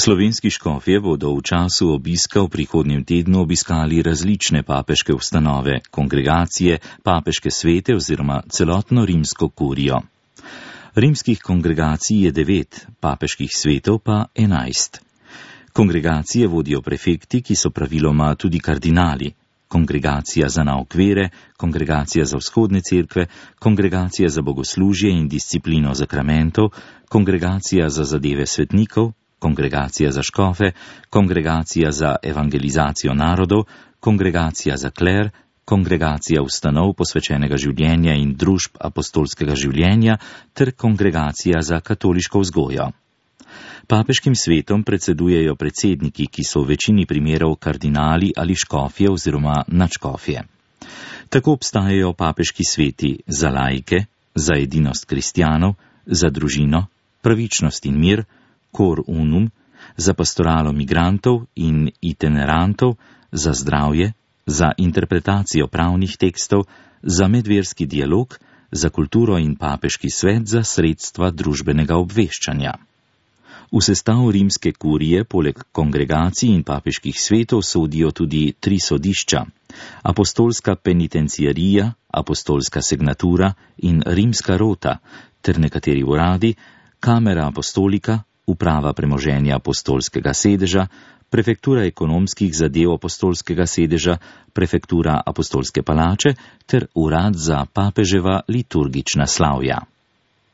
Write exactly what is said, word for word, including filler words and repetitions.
Slovenski škofje bodo v času obiska v prihodnjem tednu obiskali različne papeške ustanove, kongregacije, papeške svete oziroma celotno rimsko kurijo. Rimskih kongregacij je devet, papeških svetov pa enajst. Kongregacije vodijo prefekti, ki so praviloma tudi kardinali. Kongregacija za nauk vere, kongregacija za vzhodne cerkve, kongregacija za bogoslužje in disciplino zakramentov, kongregacija za zadeve svetnikov, kongregacija za škofe, kongregacija za evangelizacijo narodov, kongregacija za kler, kongregacija ustanov posvečenega življenja in družb apostolskega življenja ter kongregacija za katoliško vzgojo. Papeškim svetom predsedujejo predsedniki, ki so v večini primerov kardinali ali škofje oziroma nadškofje. Tako obstajajo papeški sveti za laike, za edinost kristjanov, za družino, pravičnost in mir, cor unum, za pastoralo migrantov in itinerantov, za zdravje, za interpretacijo pravnih tekstov, za medverski dialog, za kulturo in papeški svet za sredstva družbenega obveščanja. V sestav rimske kurije poleg kongregacij in papeških svetov sodijo tudi tri sodišča: apostolska penitenciarija, apostolska signatura in rimska rota ter nekateri uradi, kamera apostolika, uprava premoženja apostolskega sedeža, prefektura ekonomskih zadev apostolskega sedeža, prefektura apostolske palače ter urad za papeževa liturgična slavja.